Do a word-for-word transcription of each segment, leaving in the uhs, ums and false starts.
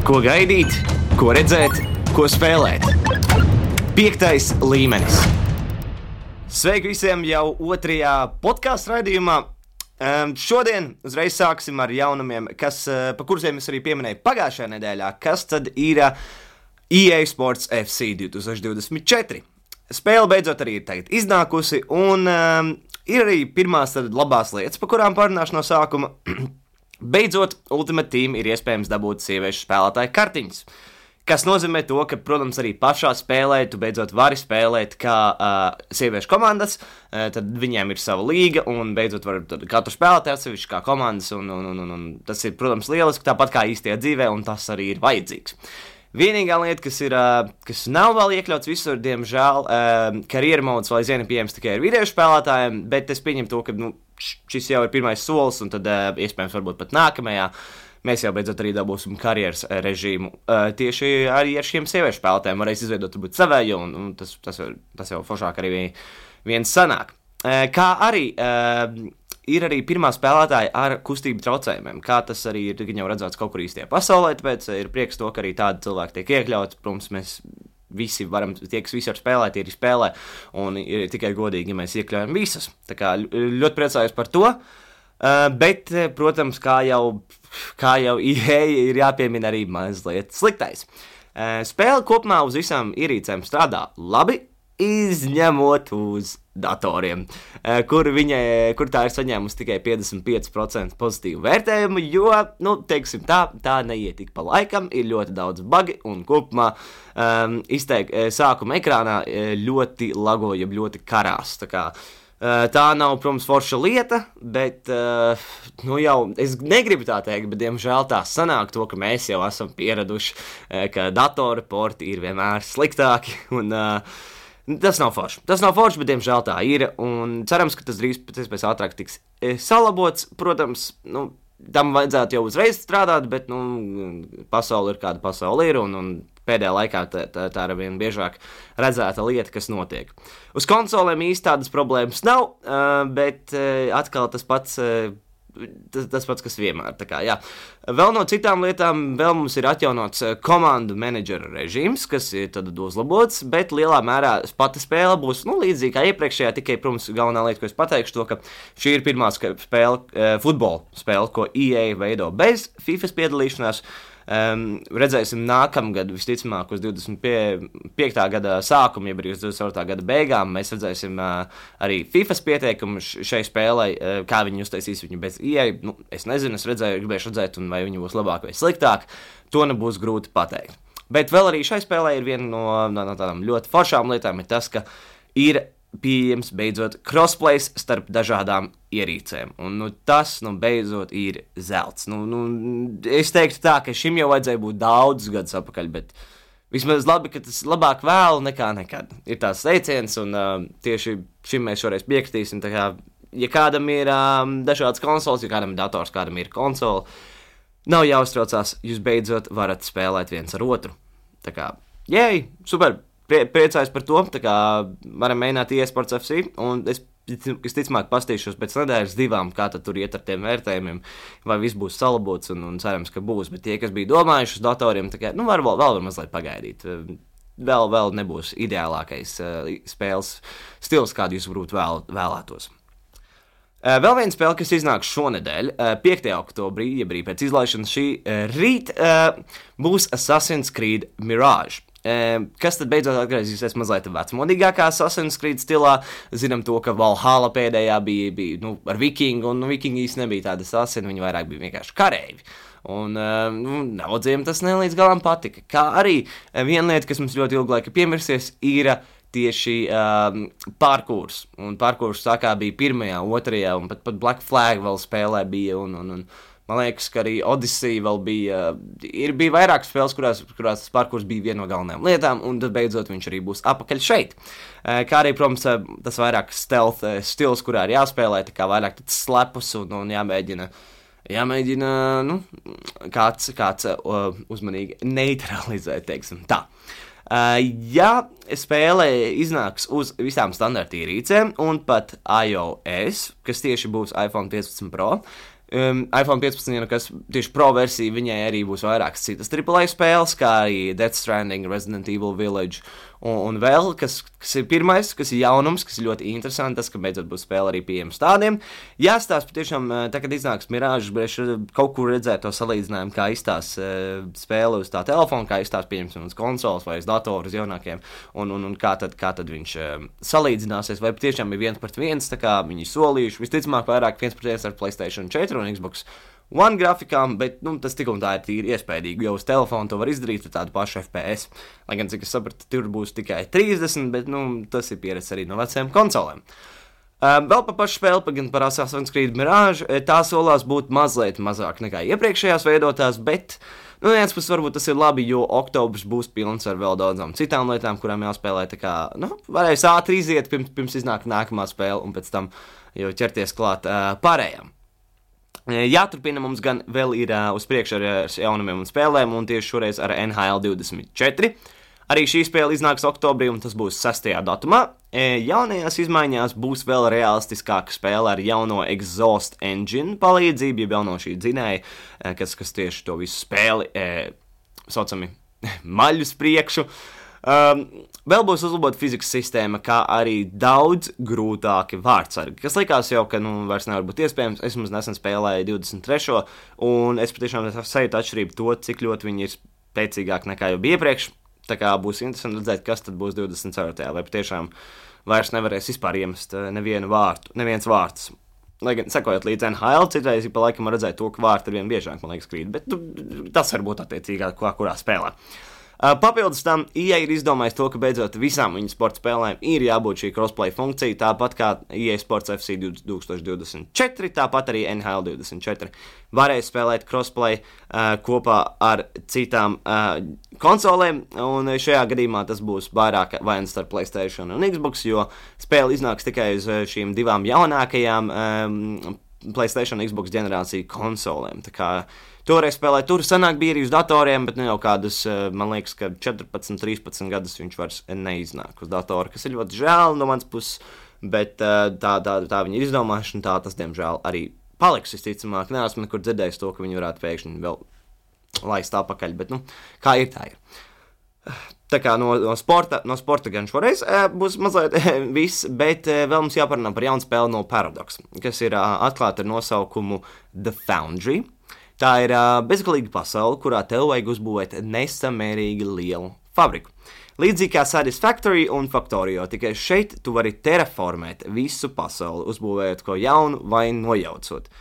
Ko gaidīt, ko redzēt, ko spēlēt. Piektais līmenis. Sveiki visiem jau otrajā podkāstu raidījumā. Um, šodien uzreiz sāksim ar jaunumiem, kas, uh, pa kuriem es arī pieminēju pagājušajā nedēļā, kas tad ir uh, E A Sports F C divtūkstoš divdesmit četri. Spēle beidzot arī ir tagad iznākusi, un um, ir arī pirmās tad labās lietas, pa kurām parunāšu no sākuma. Beidzot, Ultimate Team ir iespējams dabūt sieviešu spēlētāju kartiņas, kas nozīmē to, ka, protams, arī pašā spēlē tu beidzot vari spēlēt kā uh, sieviešu komandas, uh, tad viņiem ir sava līga, un beidzot var katru spēlētāju atsevišķi kā komandas, un, un, un, un tas ir, protams, lieliski, tāpat kā īstajā dzīvē, un tas arī ir vajadzīgs. Vienīgā lieta, kas, ir, uh, kas nav vēl iekļauts visur, diemžēl, uh, karjeru modes vēl aizvien ir pieejams tikai ar video spēlētājiem, bet es pieņemu to, ka, nu, šis jau ir pirmais solis, un tad uh, iespējams varbūt pat nākamajā mēs jau beidzot arī dabūsim karjeras režīmu. Uh, tieši arī ar šiem sieviešu spēlētājiem varēs izveidot varbūt savēju, un, un tas, tas, tas jau foršāk arī viens sanāk. Uh, kā arī uh, ir arī pirmā spēlētāja ar kustību traucējumiem, kā tas arī ir jau redzēts kaut kur īstajā pasaulē, tāpēc ir prieks to, ka arī tādi cilvēki tiek iekļauts. Protams, mēs visi varam, tie, kas visi var spēlēt, ir spēlē, un ir tikai godīgi, ja mēs iekļaujam visas. Tā kā ļoti priecājos par to, uh, bet, protams, kā jau, kā jau E A ir jāpiemina arī mazliet sliktais. Uh, spēle kopumā uz visām ierīcēm strādā labi, izņemot uz datoriem, uh, kur, viņa, kur tā ir saņēmusi tikai piecdesmit pieci procenti pozitīvu vērtējumu, jo, nu, teiksim tā, tā neiet tik pa laikam, ir ļoti daudz bugi, un kopumā um, izteik, sākuma ekrānā ļoti lagoja, ļoti karās, tā kā uh, tā nav, protams, forša lieta, bet, uh, nu jau, es negribu tā teikt, bet, diemžēl tā sanāk to, ka mēs jau esam pieraduši, uh, ka datora porti ir vienmēr sliktāki, un uh, Tas nav forši. Tas nav forši, bet, diemžēl, tā ir. Un cerams, ka tas drīz pēc iespējas ātrāk tiks e, salabots. Protams, nu, tam vajadzētu jau uzreiz strādāt, bet nu, pasaule ir kāda pasaule ir. Un, un pēdējā laikā tā, tā, tā ir vien biežāk redzēta lieta, kas notiek. Uz konsolēm īsti tādas problēmas nav, uh, bet uh, atkal tas pats. Uh, Tas, tas pats, kas vienmēr. Tā kā, jā. Vēl no citām lietām, vēl mums ir atjaunots komandu menedžera režīms, kas ir tad uzlabots, bet lielā mērā pati spēle būs nu, līdzīga kā iepriekšējā, tikai, protams, galvenā lieta, ko es pateikšu, to, ka šī ir pirmā spēle, futbola spēle, ko E A veido bez FIFAs piedalīšanās. Um, redzēsim nākamgad, visticamāk, uz divdesmit piekta gada sākumu, ja arī uz divdesmit ceturtā gada beigām, mēs redzēsim uh, arī FIFAs pieteikumu šai spēlei, uh, kā viņi uztaisīs viņu bez E A. Nu, es nezinu, es redzēju, gribēšu redzēt, un vai viņi būs labāk vai sliktāk, to nebūs grūti pateikt. Bet vēl arī šai spēlē ir viena no, no, no tādām ļoti foršām lietām, ir tas, ka ir pieejams beidzot crossplays starp dažādām ierīcēm. Un nu, tas, nu, beidzot ir zelts. Nu, nu, es teiktu tā, ka šim jau vajadzēja būt daudzus gadus atpakaļ, bet vismaz labi, ka tas labāk vēlu nekā nekad. Ir tās teiciens, un uh, tieši šim mēs šoreiz piekritīsim. Tā kā, ja kādam ir um, dažādas konsoles, ja kādam ir dators, kādam ir konsole, nav jāuztraucās, jūs beidzot varat spēlēt viens ar otru. Tā kā, jēj, super! Prie, priecājos par to, tā kā varam mēģināt E A Sports F C, un es, es ticamāk pastīšos pēc nedēļas divām, kā tad tur iet ar tiem vērtējumiem, vai viss būs salabots, un, un cerams, ka būs, bet tie, kas bija domājuši uz datoriem, tā kā, nu, var, vēl, vēl var mazliet pagaidīt, vēl, vēl nebūs ideālākais uh, spēles stils, kādu jūs varbūt vēl, vēlētos. Uh, vēl viena spēle, kas iznāks šonedēļ, uh, piektajā oktobrī, jeb arī pēc izlaišanas šī uh, rīt, uh, būs Assassin's Creed Mirage. Kas tad beidzot atgriezīsies mazliet vecmodīgākā Assassin's Creed stilā. Zinām to, ka Valhalla pēdējā bija, bija nu, ar vikingu, un nu, vikingi īsti nebija tādi asasini, viņi vairāk bija vienkārši kareivi. Un nu, daudziem tas nelīdz galam patika. Kā arī viena lieta, kas mums ļoti ilgu laiku piemirsies, ir tieši um, parkūrs. Un parkūrs sākā bija pirmajā, otrajā, un pat, pat Black Flag vēl spēlē bija, un, un, un man liekas, ka arī Odyssey vēl bija, ir, bija vairākas spēles, kurās, kurās tas parkurs bija viena no galvenajām lietām, un tad beidzot viņš arī būs apakaļ šeit. Kā arī, protams, tas vairāk stealth stils, kurā ir jāspēlē, tā kā vairāk tāds slepus un, un jāmēģina, jāmēģina, nu, kāds, kāds uh, uzmanīgi neutralizēt, teiksim tā. Uh, ja spēle iznāks uz visām standarta ierīcēm un pat iOS, kas tieši būs iPhone piecpadsmit Pro, Um, iPhone piecpadsmit, kas tieši Pro versija, viņai arī būs vairākas citas triple A spēles, kā arī Death Stranding, Resident Evil Village un, un vēl, kas, kas ir pirmais, kas ir jaunums, kas ir ļoti interesanti, tas, ka beidzot būs spēle arī pieejams tādiem. Jāstāsta patiešām, tā, kad iznāks Mirage, es kaut kur redzēju to salīdzinājumu, kā izstās uh, spēle uz tā telefona, kā izstās pieņemsim uz konsoles vai uz datoru, uz jaunākiem, un, un, un kā, tad, kā tad viņš uh, salīdzināsies, vai patiešām ir viens pret viens, tā kā viņi solījuši, visticamāk vairāk viens pret viens ar PlayStation četri un Xbox One grafikām, bet nu, tas tik un tā ir tīri iespējīgi, jo uz telefonu to var izdarīt ar tādu pašu F P S. Lai gan, cik es sapratu, tur būs tikai trīsdesmit, bet nu, tas ir pieredze arī no vecajām konsolēm. Uh, vēl par pašu spēli, gan par Assassin's Creed Mirage, tā solās būt mazliet mazāk nekā iepriekšējās veidotās, bet nu, viens puses varbūt tas ir labi, jo oktobrs būs pilns ar vēl daudzām citām lietām, kurām jāspēlē, tā kā, nu, varēs ātri iziet, pirms, pirms iznāk nākamā spēle, un pēc tam jau ķerties klāt uh, pārējām. Jāturpina mums gan vēl ir uh, uz priekšu ar, ar jaunumiem un spēlēm, un tieši šoreiz ar N H L divdesmit četri. Arī šī spēle iznāks oktobrī, un tas būs sestajā datumā. E, jaunajās izmaiņās būs vēl realistiskāka spēle ar jauno Exhaust Engine palīdzību, jeb jauno šī dzinēja, kas, kas tieši to visu spēli, e, saucami, maļus priekšu. Um, vēl būs uzlabota fizikas sistēma, kā arī daudz grūtāki vārdsargi, kas likās jau, ka nu, vairs nevar būt iespējams. Es mums nesen spēlēju divdesmit trešo un es patiešām sajūtu atšķirību to, cik ļoti viņi ir spēcīgāki nekā jau bija iepriekš. Tā kā būs interesanti redzēt, kas tad būs divdesmit ceturtajā, vai patiešām vairs nevarēs vispār iemest nevienu vārtu, neviens vārds. Lai gan, sekojot līdz N H L, citreiz pa laikam redzēt to, ka vārti ar vien biežāk, man liekas, krīt, bet nu, tas var būt attiecīgāk, kurā spēlē. Uh, papildus tam E A ir izdomājis to, ka beidzot visām viņu sporta spēlēm ir jābūt šī crossplay funkcija, tāpat kā E A Sports F C divdesmit divdesmit četri, tāpat arī N H L divdesmit četri varēs spēlēt crossplay uh, kopā ar citām uh, konsolēm, un šajā gadījumā tas būs vairāk vai nu starp PlayStation un Xbox, jo spēle iznāks tikai uz šīm divām jaunākajām um, PlayStation un Xbox ģenerāciju konsolēm. Tā kā toreiz spēlēt, tur sanāk bija arī uz datoriem, bet nu jau kādas, man liekas, ka četrpadsmit, trīspadsmit gadus viņš vairs neiznāk uz datora, kas ir ļoti žēl no mans puses, bet tā, tā, tā viņa ir izdomāšana, tā tas, diemžēl, arī paliks visticamāk. Neesmu nekur dzirdējis to, ka viņi varētu pēkšņi vēl laist apakaļ, bet, nu, kā ir, tā ir. Tā kā no, no, sporta, no sporta gan šoreiz e, būs mazliet e, viss, bet e, vēl mums jāparunā par jaunu spēli no Paradox, kas ir uh, atklāta ar nosaukumu The Foundry. Tā ir uh, bezgalīga pasaule, kurā tev vajag uzbūvēt nesamērīgi lielu fabriku. Līdzīgi kā Satisfactory un Factorio, tikai šeit tu vari terraformēt visu pasauli, uzbūvējot ko jaunu vai nojaucot.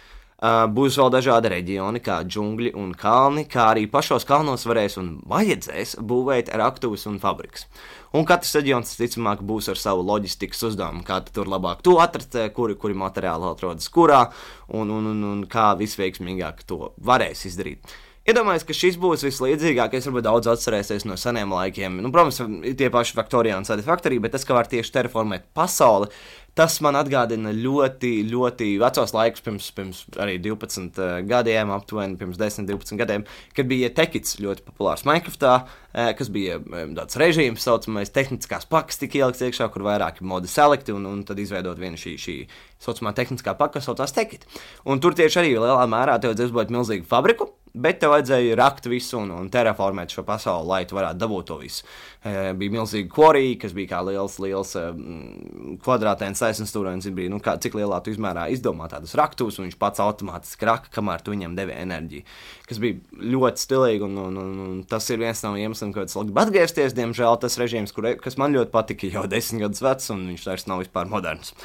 Uh, būs vēl dažādi reģioni, kā džungļi un kalni, kā arī pašos kalnos varēs un vajadzēs būvēt raktuvus un fabrikas. Un katrs reģions, ticamāk, būs ar savu loģistikas uzdevumu, kā tur labāk to atrast, kuri, kuri materiāli atrodas kurā, un, un, un, un kā visveiksmīgāk to varēs izdarīt. Iedomājos, ka šis būs vislīdzīgākais, varbūt daudz atcerēsies no seniem laikiem. Nu, protams, tie paši Factorio un Satisfactory, bet tas, ka var tieši terraformēt pasauli, tas man atgādina ļoti, ļoti vecos laikus, pirms, pirms arī divpadsmit uh, gadiem, aptuveni pirms desmit, divpadsmit gadiem, kad bija Tekits ļoti populārs Minecraftā, uh, kas bija um, tāds režīms, saucamais tehniskās pakas tika ielikts iekšā, kur vairāki modi selecti, un, un tad izveidot vienu šī, šī saucamā tehniskā paka, kas saucās Tekit. Un tur tieši arī lielā mērā tev vajadzēja uzbūvēt milzīgu fabriku, bet tev vajadzēja rakt visu un, un terraformēt šo pasauli, lai tu varētu dabūt to visu. E, bija milzīga quarry, kas bija kā liels, liels um, kvadrātēns taisnstūrains, bija, nu, kā, cik lielā tu izmērā izdomā tādus raktus, un viņš pats automātiski raka, kamēr tu viņam devi enerģiju, kas bija ļoti stilīgi, un, un, un, un tas ir viens no iemesliem, kāpēc labi atgriezties, diemžēl tas režīms, kur, kas man ļoti patika, jau desmit gadus vecs, un viņš vairs nav vispār moderns.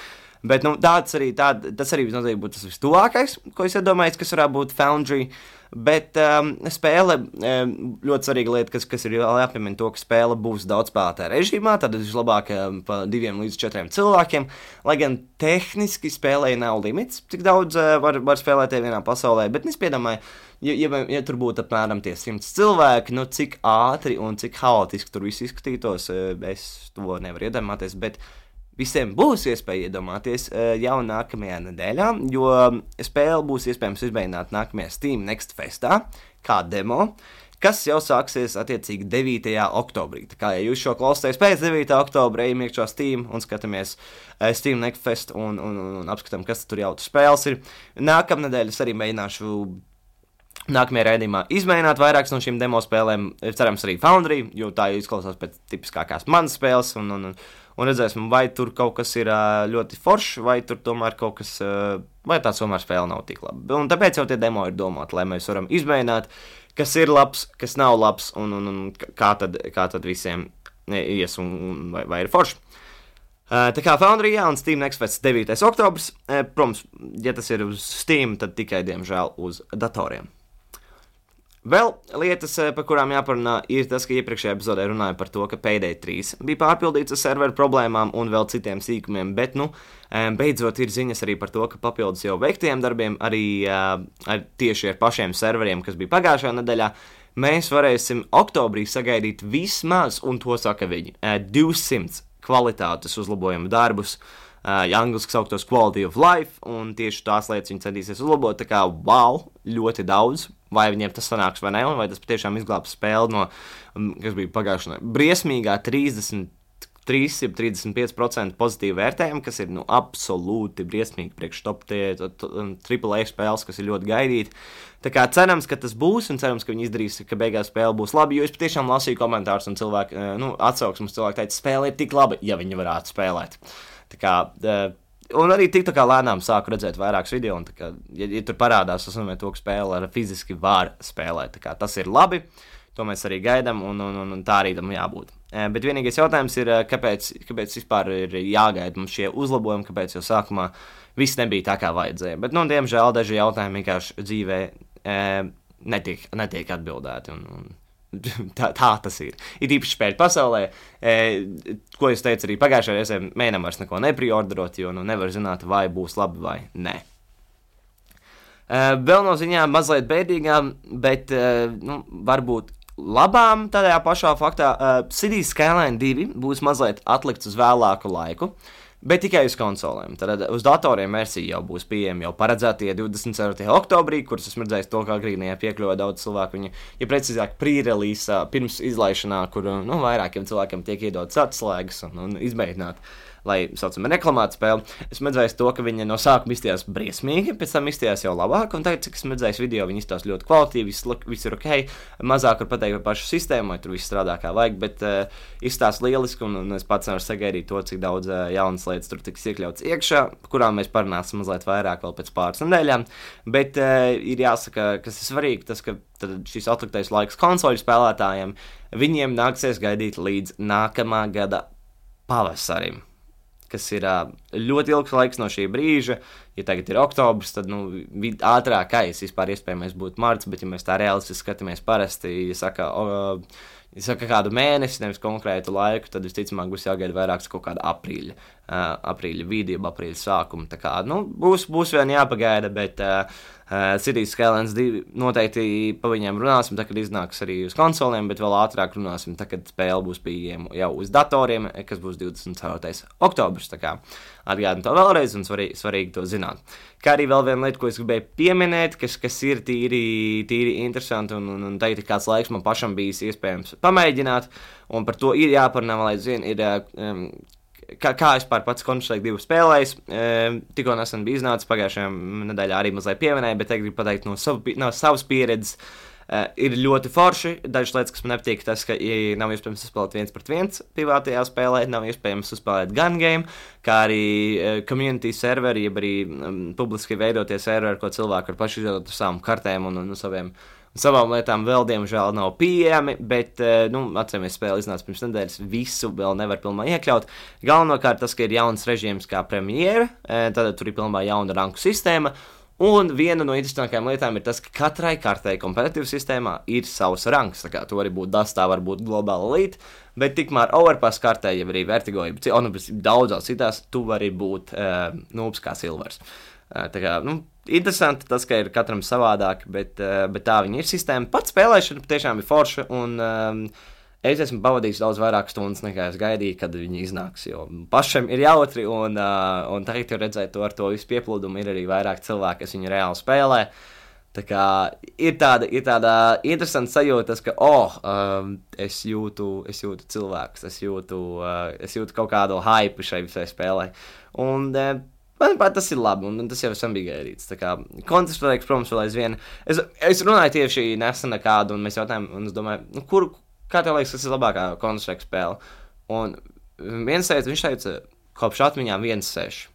Bet nu, tāds arī, tād, tas arī noteikti būtu tas vistuvākais, ko es iedomājos, kas varētu būt Foundry. Bet um, spēle, um, ļoti svarīga lieta, kas, kas ir jāpiemina to, ka spēle būs daudz spēlētāju režīmā, tad vislabāk um, pa diviem līdz četriem cilvēkiem, lai gan tehniski spēlē nav limits, cik daudz uh, var, var spēlēt vienā pasaulē, bet es piedomāju, ja, ja, ja tur būtu apmēram tie simts cilvēki, nu cik ātri un cik haotiski tur viss izskatītos, uh, es to nevaru iedomāties, bet visiem būs iespēja iedomāties jau nākamajā nedēļā, jo spēle būs iespējams izmēģināt nākamajā Steam Next Festā, kā demo, kas jau sāksies attiecīgi devītajā oktobrī. Tā kā, ja jūs šo klausāties pēc devītā oktobra, ejam iekšā Steam un skatāmies uh, Steam Next Fest un, un, un, un apskatām, kas tur jau tur spēles ir. Nākamnedēļ es arī mēģināšu nākamajā raidījumā izmēģināt vairākas no šīm demo spēlēm, cerams arī Foundry, jo tā izklausās pēc tipiskākās manas spēles, un, un, un redzēsim, vai tur kaut kas ir ļoti foršs, vai tur tomēr kaut kas, vai tā tomēr spēle nav tik laba. Un tāpēc jau tie demo ir domāti, lai mēs varam izmēģināt, kas ir labs, kas nav labs, un, un, un kā, tad, kā tad visiem ies, un, un vai, vai ir forši. Tā kā Foundry, jā, un Steam Next Fest devītais oktobrs, protams, ja tas ir uz Steam, tad tikai, diemžēl, uz datoriem. Vēl lietas, par kurām jāparunā, ir tas, ka iepriekšējā epizodē runāju par to, ka Payday trīs bija pārpildīts ar serveru problēmām un vēl citiem sīkumiem, bet, nu, beidzot ir ziņas arī par to, ka papildus jau veiktiem darbiem, arī ar, tieši ar pašiem serveriem, kas bija pagājušajā nedēļā, mēs varēsim oktobrī sagaidīt vismaz, un to saka viņi, divsimt kvalitātes uzlabojumu darbus, ja angliski sauktos quality of life, un tieši tās lietas viņi centīsies uzlabot, tā kā wow, ļoti daudz, vai viņiem tas sanāks vai ne, un vai tas patiešām izglābs spēli no, kas bija pagājušajā, briesmīgā trīsdesmit trīs, trīsdesmit pieci procenti pozitīvu vērtējumu, kas ir, nu, absolūti briesmīgi priekš top triple A spēles, kas ir ļoti gaidīti. Tā kā cerams, ka tas būs, un cerams, ka viņi izdarīs, ka beigās spēle būs laba, jo es patiešām lasīju komentārus, un cilvēki, nu, atsauksmes cilvēki teica, spēle ir tik laba, ja viņi varētu spēlēt. Tā kā, un arī tik tā kā lēnām sāku redzēt vairākus video, un tā kā, ja, ja tur parādās, tas nozīmē to, ka spēle ar fiziski var spēlēt, tā kā tas ir labi, to mēs arī gaidām, un, un, un, un tā arī tam jābūt. Bet vienīgais jautājums ir, kāpēc, kāpēc vispār ir jāgaida mums šie uzlabojumi, kāpēc jau sākumā viss nebija tā, kā vajadzēja. Bet, nu, diemžēl daži jautājumi vienkārši dzīvē e, netiek, netiek atbildēti, un, un Tā, tā tas ir. Ir īpaši spēļu pasaulē, e, ko es teicu arī pagājušajā reizē, mēģinām vairs neko nepriorderot, jo nu nevar zināt, vai būs labi vai nē. E, vēl no ziņām mazliet bēdīgām, bet e, nu, varbūt labām tādā pašā faktā. E, Cities Skyline divi būs mazliet atlikts uz vēlāku laiku, bet tikai uz konsolēm. Tad uz datoriem versija jau būs pieejama jau paredzētie divdesmit ceturtajā oktobrī, kuras esmu redzējis to, kā agrīnajā piekļuvā daudz cilvēku. Viņi, ja precīzāk, pre-release pirms izlaišanā, kur nu, vairākiem cilvēkiem tiek iedotas atslēgas un, un izmēģināt, lai, saucam, reklamētu spēli. Esmu redzējis to, ka viņi no sākuma izstījās briesmīgi, pēc tam izstījās jau labāk, un tagad, cik esmu redzējis video, viņi izstās ļoti kvalitīvi, viss, viss ir ok, mazāk var pateikt par pašu sistēmu, vai tur viss strādā kā vajag, bet uh, izstās lieliski, un, un es pats nevaru sagaidīt to, cik daudz uh, jaunas lietas tur tiks iekļauts iekšā, kurām mēs parunāsim mazliet vairāk vēl pēc pāris nedēļām, bet uh, ir jāsaka, kas ir svarīgi, tas, ka tad šis atliktais laiks konsoļu spēlētājiem, viņiem nāksies gaidīt līdz nākamā gada pavasarim, kas ir ļoti ilgs laiks no šī brīža. Ja tagad ir oktobrs, tad nu, ātrākais vispār iespējamais būtu marts, bet ja mēs tā realistiski skatāmies parasti, ja saka, o, ja saka kādu mēnesi, nevis konkrētu laiku, tad visticamāk būs jāgaida vairāks kaut kāda aprīļa, uh, aprīļa vidība, aprīļa sākuma. Tā kā, nu, būs, būs vien jāpagaida, bet uh, uh, Cities Skylines divi noteikti pa viņiem runāsim, tā, kad iznāks arī uz konsoliem, bet vēl ātrāk runāsim, tā, kad spēle būs pieejama jau uz datoriem, kas būs divdesmit ceturtais oktobrs. Tā kā atgādinu to vēlreiz un svarīgi, svarīgi to zināt. Kā arī vēl viena lieta, ko es gribēju pieminēt, kas, kas ir tīri, tīri interesanti un, un, un tagad ir kāds laiks man pašam bijis iespējams pamēģināt, un par to ir jāparunā, lai zin, ir, um, kā, kā es pār pats Counter-Strike divu spēlējis, um, tikko nesen bija iznācis pagājušajā nedēļā arī mazliet pieminēju, bet tagad gribu pateikt no, savu, no savas pieredzes. Uh, ir ļoti forši. Dažas lietas, kas man nepatīk, tas, ka ja nav iespējams uzspēlēt viens pret viens privātajā spēlē, nav iespējams uzspēlēt gun game, kā arī uh, community serveri, jeb arī um, publiski veidotie serveri, ko cilvēki var paši izveidot ar savām kartēm un, un, un saviem, savām lietām vēl, diemžēl, nav pieejami, bet, uh, nu, atceramies, spēle iznāca pirms nedēļas, visu vēl nevar pilnībā iekļaut. Galvenokārt tas, ka ir jauns režīms kā Premiere, uh, tad tur ir pilnībā jauna ranku sistēma. Un viena no interesantākajām lietām ir tas, ka katrai kartei kompetitīvas sistēmā ir savs rangs. Tā kā tu vari būt Dustā, var būt Global Elite, bet tikmēr Overpass kartē, ja arī Vertigo, ja un daudzās citās, tu vari būt uh, noobs kā Silvers. Uh, tā kā, nu, interesanti tas, ka ir katram savādāk, bet, uh, bet tā viņa ir sistēma. Pats spēlēšana tiešām ir forša, un um, es esmu pavadījis daudz vairāk stundas, nekā es gaidīju, kad viņi iznāks, jo pašam ir jautri, un, uh, un tagad jau redzēt to ar to visu pieplūdumu, ir arī vairāk cilvēki, kas viņu reāli spēlē. Tā kā ir tāda, ir tāda interesanta sajūta, ka, oh, um, es jūtu, es jūtu cilvēkus, es jūtu, uh, es jūtu kaut kādu hype šai visai spēlē. Un, uh, manuprāt, tas ir labi, un, un tas jau esam bija gaidīts. Tā kā Counter-Strike, protams, vēl aizvien. Es, es runāju tieši nesen ar kādu, un mēs jautājām, un es domāju, nu, kur, kā tev liekas, kas ir labākā Counter-Strike spēle? Un viens teica, viņš teica, kopš atmiņām viens seši.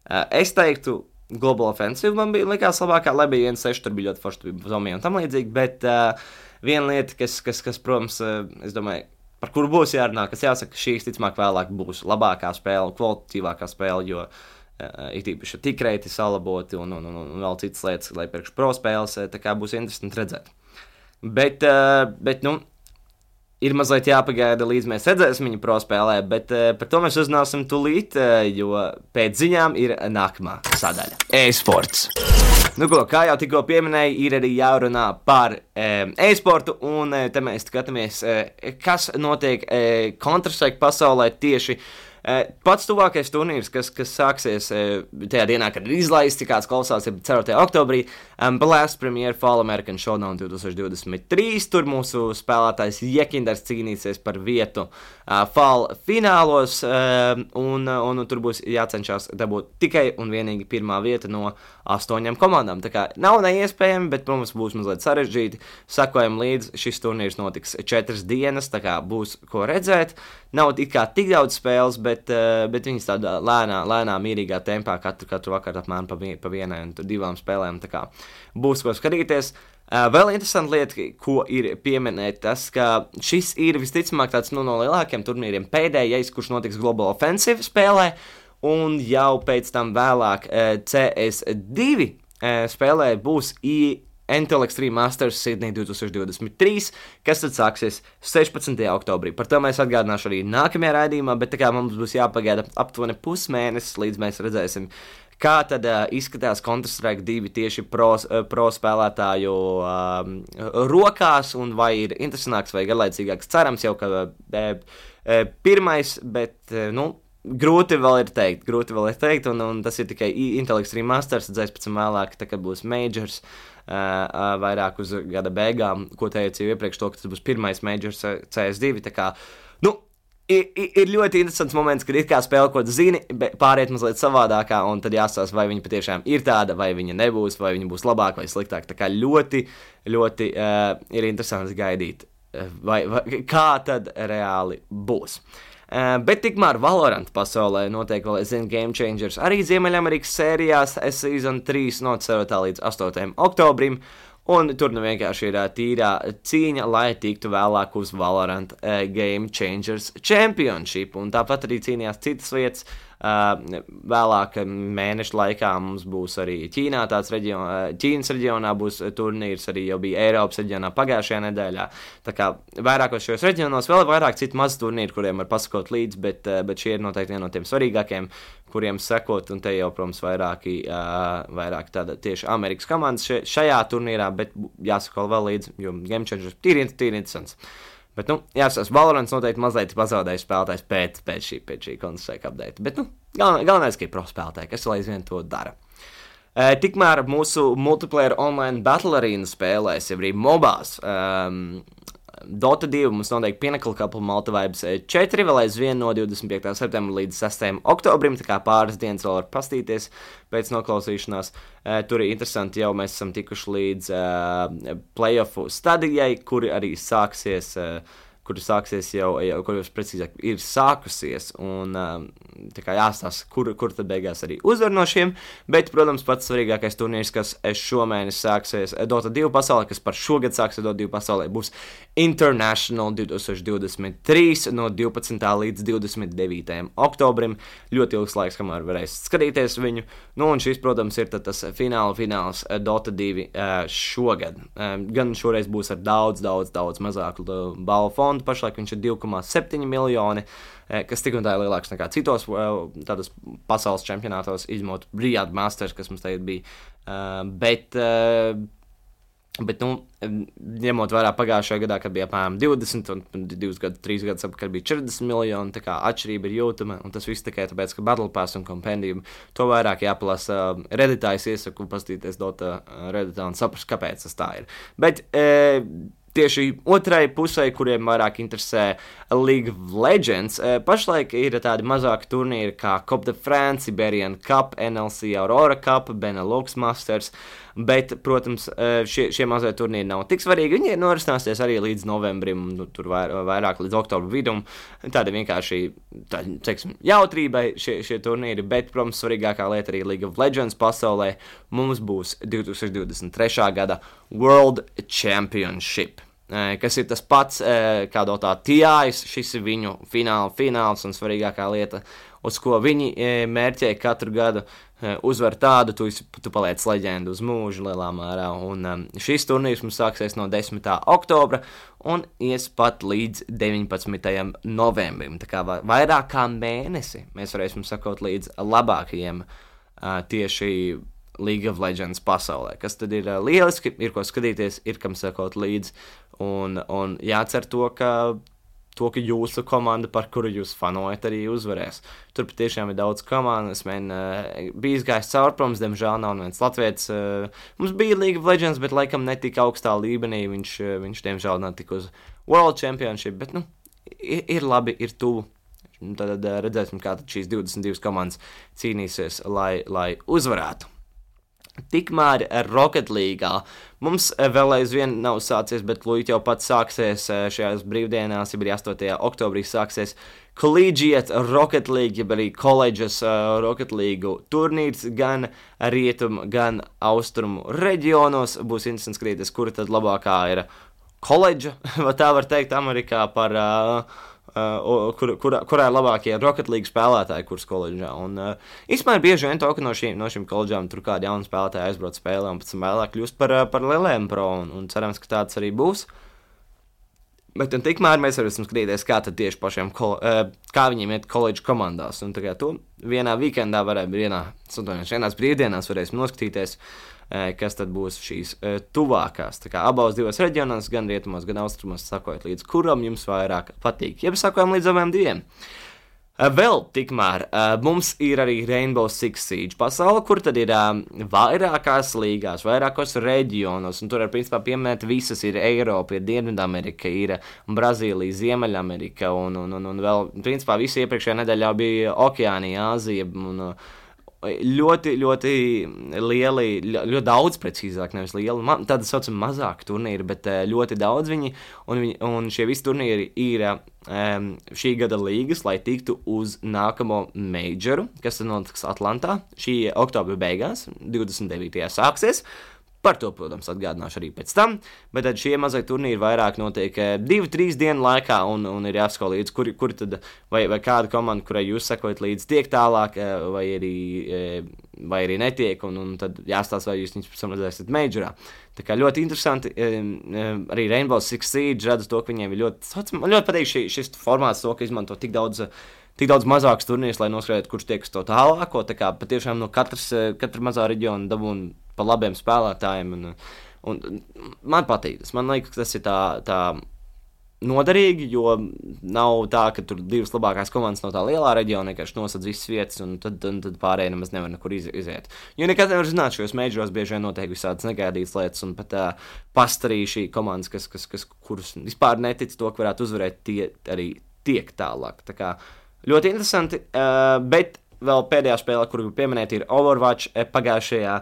Uh, es teiktu, Global Offensive man bija likās labākā, lai bija viens seši, tur bija ļoti forši, bija zomija un tam līdzīgi, bet uh, viena lieta, kas, kas, kas protams, uh, es domāju, par kuru būs jārunā, kas jāsaka, šīs ticamāk vēlāk būs labākā spēle, kvalitatīvākā spēle, jo uh, ir tīpaši tikreiti salaboti un, un, un, un vēl citas lietas, lai priekš pro spēles, tā kā būs interesanti redzēt. Bet, uh, bet nu, ir mazliet jāpagaida, līdz mēs redzēsim viņu pro spēlē, bet uh, par to mēs uzzināsim tūlīt, uh, jo pēc ziņām ir nākamā sadaļa – e-sports. Nu ko, kā jau tikko pieminēju, ir arī jārunā par um, e-sportu, un uh, te mēs skatāmies, uh, kas notiek uh, Counter-Strike pasaulē tieši. Uh, pats tuvākais turnīrs, kas, kas sāksies uh, tajā dienā, kad ir izlaists, kāds klausās, ir ceturtajā oktobrī, um, Blast Premier Fall American Showdown divtūkstoš divdesmit trīs. Tur mūsu spēlētājs Jekinders cīnīsies par vietu uh, Fall finālos, uh, un, un, un tur būs jācenšas dabūt tikai un vienīgi pirmā vieta no astoņām komandām. Tā kā nav neiespējami, bet, protams, būs mazliet sarežģīti. Sakojam līdzi, šis turnīrs notiks četras dienas, tā kā būs ko redzēt. Nav it kā tik daudz spēles, bet, uh, bet viņas tādā lēnā, lēnā, mierīgā tempā katru, katru vakaru apmēram pa, vien, pa vienai un divām spēlēm. Tā kā būs ko skatīties. Uh, vēl interesanta lieta, ko ir pieminēt, tas, ka šis ir visticamāk tāds nu, no lielākiem turnīriem pēdējais, kurš notiks Global Offensive spēlē, un jau pēc tam vēlāk uh, C S divi uh, spēlē būs I. Intel Extreme Masters Sydney divtūkstoš divdesmit trīs, kas tad sāksies sešpadsmitajā oktobrī. Par to mēs atgādināšu arī nākamajā raidījumā, bet tā kā mums būs jāpagaida aptuveni pusmēnesis, līdz mēs redzēsim, kā tad uh, izskatās Counter-Strike divi tieši pro, uh, pro spēlētāju um, rokās, un vai ir interesantāks vai garlaicīgāks. Cerams jau, ka uh, uh, pirmais, bet, uh, nu, grūti vēl ir teikt, grūti vēl ir teikt, un, un tas ir tikai Intel Extreme Masters, redzēs pēc tam vēlāk, tā kā būs Majors, uh, uh, vairāk uz gada beigām, ko teicu jau iepriekš to, ka tas būs pirmais Majors C S divi, tā kā, nu, ir, ir ļoti interesants moments, kad ir kā spēle, ko tu zini, pāriet mazliet savādākā, un tad jāstāsta, vai viņa patiešām ir tāda, vai viņa nebūs, vai viņa būs labāka vai sliktāka, tā kā ļoti, ļoti uh, ir interesants gaidīt, uh, vai, vai, kā tad reāli būs. Uh, bet tikmēr Valorant pasaulē notiek vēl, es zinu, Game Changers arī Ziemeļamerikas sērijās, Season trīs no ceturtā līdz astotajam oktobrim, un tur nu vienkārši ir uh, tīrā cīņa, lai tiktu vēlāk uz Valorant uh, Game Changers Championship, un tāpat arī cīnījās citas vietas. Uh, vēlāk mēnešu laikā mums būs arī Ķīnā tāds reģion, Ķīnas reģionā būs turnīrs, arī jau bija Eiropas reģionā pagājušajā nedēļā. Tā kā vairākos šajos reģionos vēl vairāk citu mazu turnīru, kuriem var pasakot līdzi, bet, bet šie ir noteikti viena no tiem svarīgākiem, kuriem sekot, un te jau, protams, vairāki, uh, vairāk tāda tieši Amerikas komandas šajā turnīrā, bet jāsako vēl līdzi, jo Game Changers tīri, tīri interesants. Bet, nu, jāsaka, Valorants noteikti mazliet pazaudējis spēlētājs pēc, pēc šī, pēc šī Counter-Strike update. Bet, nu, galvenais, galvenais, ka ir pro spēlētāji, kas vēl aizvien to dara. E, tikmēr mūsu multiplayer online battle arena spēlēs, jau arī mobās, um, Dota divi mums noteikti Pinnacle Couple Malta Vibes četri, vēl aizvien no divdesmit piektā septembra līdz sestajam oktobrim, tā kā pāris dienas vēl var pastīties pēc noklausīšanās. Uh, tur ir interesanti, jau mēs esam tikuši līdz uh, playoffu stadijai, kuri arī sāksies, uh, kuri sāksies jau, jau kur jūs precīzāk ir sākusies, un uh, tā kā jāstāsta, kur, kur tad beigās arī uzvar no šiem, bet, protams, pats svarīgākais turnīrs, kas šomēnes sāksies Dota divi pasaulē, kas par šogad sāksies Dota divi pasaulē, būs International divtūkstoš divdesmit trīs no divpadsmitā līdz divdesmit devītajam oktobrim. Ļoti ilgs laiks, kamēr varēs skatīties viņu. Nu, un šis, protams, ir tas fināla fināls Dota divi uh, šogad. Um, gan šoreiz būs ar daudz, daudz, daudz mazāku balvu fondu. Pašlaik viņš ir divi komats septiņi miljoni, uh, kas tik un tā ir lielāks nekā citos uh, tādos pasaules čempionātos, izņemot Riyadh Masters, kas mums tagad bija. Uh, bet... Uh, Bet, nu, ņemot vērā pagājušajā gadā, kad bija apmēram divdesmit, un divus gadus, trīs gadus atpakaļ bija četrdesmit miljoni, tā kā atšķirība ir jūtama, un tas viss tikai tāpēc, ka Battle Pass un Compendium to vairāk jāpalasa Redditā, es iesaku pastīties Dota Redditā un saprast, kāpēc tas tā ir. Bet, e, tieši otrai pusē, kuriem vairāk interesē League of Legends, e, pašlaik ir tādi mazāki turnīri kā Coupe de France, Iberian Cup, N L C Aurora Cup, Benelux Masters, bet, protams, šie, šie mazie turnīri nav tik svarīgi. Viņi norisināsies arī līdz novembrim, nu, tur vair, vairāk līdz oktobra vidum. Tāda vienkārši, tā, teiksim, jautrībai šie, šie turnīri, bet, protams, svarīgākā lieta arī League of Legends pasaulē mums būs divtūkstoš divdesmit trešā gada World Championship, kas ir tas pats, kā Dotā T I S, šis ir viņu fināla fināls un svarīgākā lieta, uz ko viņi mērķē katru gadu. Uzvar tādu, tu, tu paliec leģendu uz mūžu lielā mērā, un um, šis turnīrs mums sāksies no desmitā oktobra un ies pat līdz deviņpadsmitajam novembrim, tā kā vairāk kā mēnesi mēs varēsim sakot līdz labākajiem uh, tieši League of Legends pasaulē, kas tad ir uh, lieliski, ir ko skatīties, ir kam sakot līdz, un, un jācer to, ka to, ka jūsu komanda, par kuru jūs fanojat, arī uzvarēs. Tur patiešām ir daudz komandas, man uh, bija izgājis cauri, protams, diemžēl nav viens latvietis. Uh, mums bija League of Legends, bet laikam netika augstā līmenī, viņš, uh, viņš diemžēl netika uz World Championship, bet, nu, ir, ir labi, ir tuvu. Tad uh, redzēsim, kā tad šīs divdesmit divas komandas cīnīsies, lai, lai uzvarētu. Tikmēr Rocket League'ā mums vēl aizvien nav sācies, bet lūdzu jau pats sāksies šajās brīvdienās, ja arī astotajā oktobrī sāksies Collegiate Rocket League, ja arī Colleges uh, Rocket League turnīrs gan rietumu, gan austrumu reģionos. Būs interesanti skatīties, kura tad labākā ir koledža, vai tā var teikt Amerikā par... Uh, Uh, kur, kur, kurā ir labākie Rocket League spēlētāji, kuras koledžā. Un uh, īstenībā bieži vien to, ka no šīm, no šīm koledžām tur kādi jauni spēlētāji aizbrauc spēlē un pēc tam vēlāk kļūst par, par lieliem pro, un, un cerams, ka tāds arī būs. Bet un tikmēr mēs varam skatīties, kā tad tieši pašiem, kol, uh, kā viņiem iet koledžu komandās. Un tā kā to vienā weekendā varēja, vienā, vienās brīvdienās varēsim noskatīties, kas tad būs šīs uh, tuvākās. Tā kā abos divos reģionos, gan rietumos, gan austrumos, sakojot līdz kuram jums vairāk patīk. Jeb sakojam līdz abiem diviem. Uh, vēl tikmēr uh, mums ir arī Rainbow Six Siege pasaule, kur tad ir uh, vairākās līgās, vairākos reģionos, un tur ir principā pieminēt visas, ir Eiropa, ir Dienvidamerika, ir Brazīlija, Ziemeļamerika, un, un, un, un vēl, principā, visi iepriekšējā nedēļā bija Okeānija, Āzija, un uh, ļoti, ļoti lieli, ļoti daudz precīzāk, nevis lieli, ma, tāda saucama mazāka turnīri, bet ļoti daudz viņi, un, viņi, un šie visi turnīri ir um, šī gada līgas, lai tiktu uz nākamo majoru, kas notiks Atlantā, šī oktobra beigās, divdesmit devītajā sāksies. Par to, protams, atgādināšu arī pēc tam, bet tad šie mazie turnīri vairāk notiek divu, trīs dienu laikā, un, un ir jāsako līdz, kuri, kuri tad, vai, vai kāda komanda, kurai jūs sekojat līdz, tiek tālāk, vai arī, vai arī netiek, un, un tad jāstāsta, vai jūs viņus pēc tam redzēsiet majorā. Tā kā ļoti interesanti, arī Rainbow Six Siege redzu to, ka viņiem ir ļoti, man ļoti patīk šī, šis formāts, to, ka izmanto tik daudz, tik daudz mazāks turnīrs, lai noskaidrotu, kurš tiek uz to tālāko, tā kā patiešām no katras, katra mazā reģiona dabūna pa labiem spēlētājiem, un, un man patīk tas. Man liekas, ka tas ir tā, tā noderīgi, jo nav tā, ka tur divas labākās komandas no tā lielā reģiona vienkārši nosadz visas vietas, un tad, un tad pārējie nemaz nevar nekur iz, iziet. Jo nekad nevar zināt, šajos majoros bieži vien notiek visādas negaidītas lietas, un pat uh, pastarī šī komandas, kas, kas, kas, kurus vispār netic to, ka varētu uzvarēt, tie arī tiek tālāk. Tā kā ļoti interesanti, uh, bet vēl pēdējā spēlē, kuru pieminēt, ir Overwatch pagājušajā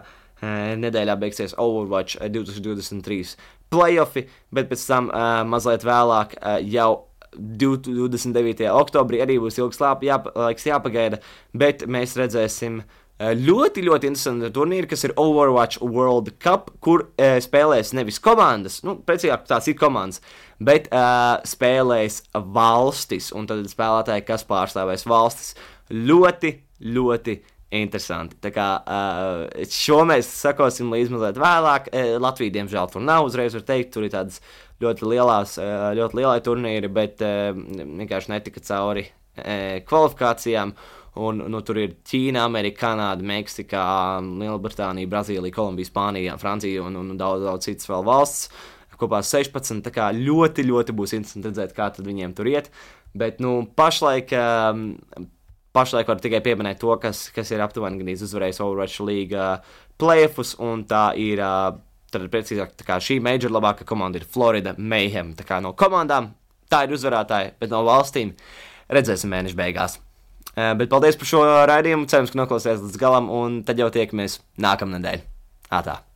nedēļā beigsies Overwatch divtūkstoš divdesmit trīs playoffi, bet pēc tam uh, mazliet vēlāk uh, jau divdesmit devītajā oktobrī arī būs ilgs lāp, jāpa, laiks jāpagaida, bet mēs redzēsim uh, ļoti, ļoti interesantu turnīru, kas ir Overwatch World Cup, kur uh, spēlēs nevis komandas, nu, precīzāk tās ir komandas, bet uh, spēlēs valstis, un tad spēlētāji, kas pārstāvēs valstis, ļoti, ļoti interesanti. Tā kā uh, šo mēs sakosim līdz mazliet vēlāk. Uh, Latvija, diemžēl, tur nav uzreiz, var teikt, tur ir tādas ļoti lielās, uh, ļoti lielai turnīri, bet uh, vienkārši netika cauri uh, kvalifikācijām. Un, nu, tur ir Ķīna, Amerika, Kanāda, Meksika, Lielbritānija, Brazīlija, Kolumbija, Spānija, Francija un, un daudz, daudz citas vēl valsts. Kopā sešpadsmit, tā kā ļoti, ļoti būs interesanti redzēt, kā tad viņiem tur iet. Bet, nu, pašlaik, pašlaik var tikai pieminēt to, kas, kas ir aptuveni gan uzvarējis Overwatch League playoffs, un tā ir, tad precīzāk, tā kā šī major labākā komanda ir Florida Mayhem. Tā kā no komandām tā ir uzvarētāji, bet no valstīm redzēsim mēneša beigās. Bet paldies par šo raidījumu, cerams, ka noklausījāties līdz galam, un tad jau tiekamies nākamnedēļ. Ātā!